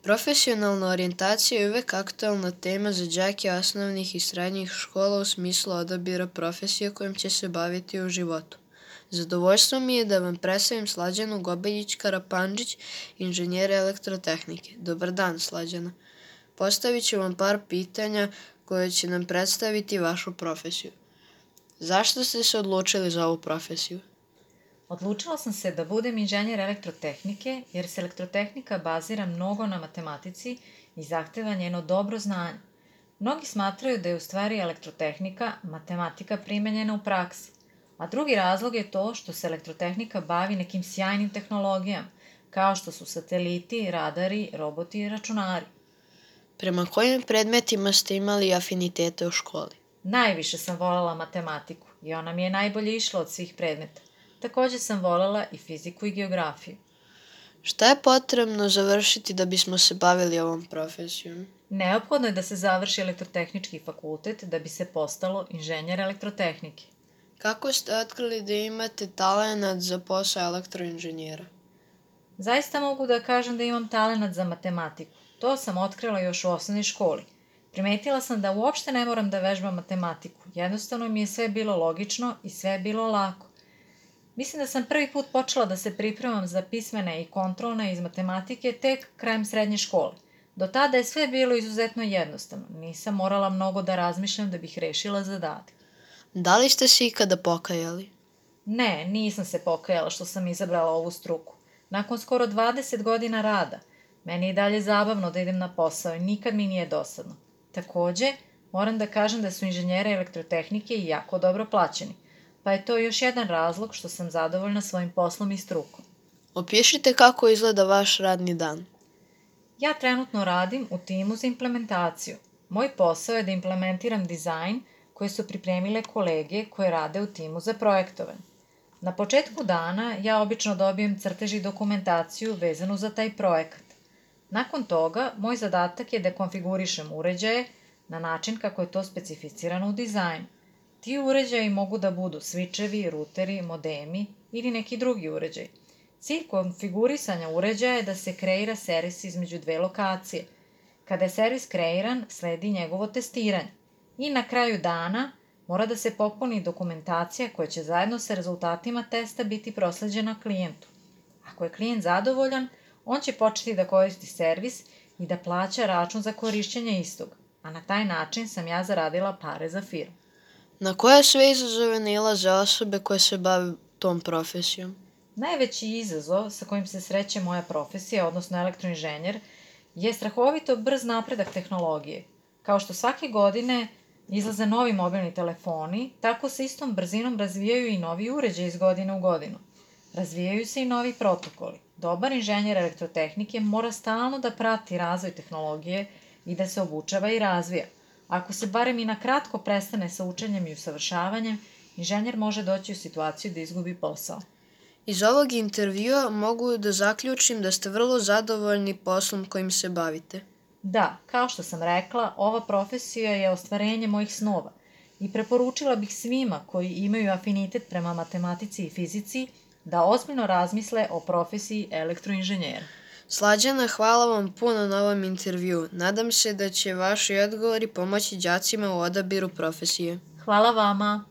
Profesionalna orijentacija je uvek aktuelna tema za đake osnovnih i srednjih škola u smislu odabira profesije kojom će se baviti u životu. Zadovoljstvo mi je da vam predstavim Slađanu Gobeljić-Karapandžić, inženjera elektrotehnike. Dobar dan, Slađana. Postavit ću vam par pitanja koje će nam predstaviti vašu profesiju. Zašto ste se odlučili za ovu profesiju? Odlučila sam se da budem inženjer elektrotehnike jer se elektrotehnika bazira mnogo na matematici i zahteva njeno dobro znanje. Mnogi smatraju da je u stvari elektrotehnika matematika primenjena u praksi, a drugi razlog je to što se elektrotehnika bavi nekim sjajnim tehnologijama, kao što su sateliti, radari, roboti i računari. Prema kojim predmetima ste imali afinitete u školi? Najviše sam voljela matematiku i ona mi je najbolje išla od svih predmeta. Takođe sam voljela i fiziku i geografiju. Šta je potrebno završiti da bismo se bavili ovom profesijom? Neophodno je da se završi elektrotehnički fakultet da bi se postalo inženjer elektrotehnike. Kako ste otkrili da imate talenat za posao elektroinženjera? Zaista mogu da kažem da imam talenat za matematiku. To sam otkrila još u osnovnoj školi. Primetila sam da uopšte ne moram da vežbam matematiku. Jednostavno mi je sve bilo logično i sve je bilo lako. Mislim da sam prvi put počela da se pripremam za pismene i kontrolne iz matematike tek krajem srednje škole. Do tada je sve bilo izuzetno jednostavno. Nisam morala mnogo da razmišljam da bih rešila zadatak. Da li ste se ikada pokajali? Ne, nisam se pokajala što sam izabrala ovu struku. Nakon skoro 20 godina rada, meni je i dalje zabavno da idem na posao i nikad mi nije dosadno. Takođe, moram da kažem da su inženjeri elektrotehnike i jako dobro plaćeni, pa je to još jedan razlog što sam zadovoljna svojim poslom i strukom. Opišite kako izgleda vaš radni dan. Ja trenutno radim u timu za implementaciju. Moj posao je da implementiram dizajn koje su pripremile kolege koje rade u timu za projektovanje. Na početku dana ja obično dobijem crtež i dokumentaciju vezanu za taj projekat. Nakon toga, moj zadatak je da konfigurišem uređaje na način kako je to specificirano u dizajnu. Ti uređaji mogu da budu svičevi, ruteri, modemi ili neki drugi uređaj. Cilj konfigurisanja uređaja je da se kreira servis između dve lokacije. Kada je servis kreiran, sledi njegovo testiranje. I na kraju dana mora da se popuni dokumentacija koja će zajedno sa rezultatima testa biti prosleđena klijentu. Ako je klijent zadovoljan, on će početi da koristi servis i da plaća račun za korišćenje istog, a na taj način sam ja zaradila pare za firmu. Na koje sve izazove nailaze osobe koje se bave tom profesijom? Najveći izazov sa kojim se sreće moja profesija, odnosno elektroinženjer, je strahovito brz napredak tehnologije. Kao što svake godine izlaze novi mobilni telefoni, tako se istom brzinom razvijaju i novi uređaji iz godine u godinu. Razvijaju se i novi protokoli. Dobar inženjer elektrotehnike mora stalno da prati razvoj tehnologije i da se obučava i razvija. Ako se barem i na kratko prestane sa učenjem i usavršavanjem, inženjer može doći u situaciju da izgubi posao. Iz ovog intervjua mogu da zaključim da ste vrlo zadovoljni poslom kojim se bavite. Da, kao što sam rekla, ova profesija je ostvarenje mojih snova i preporučila bih svima koji imaju afinitet prema matematici i fizici da ozbiljno razmisle o profesiji elektroinženjera. Slađana, hvala vam puno na ovom intervjuu. Nadam se da će vaši odgovori pomoći đacima u odabiru profesije. Hvala vama!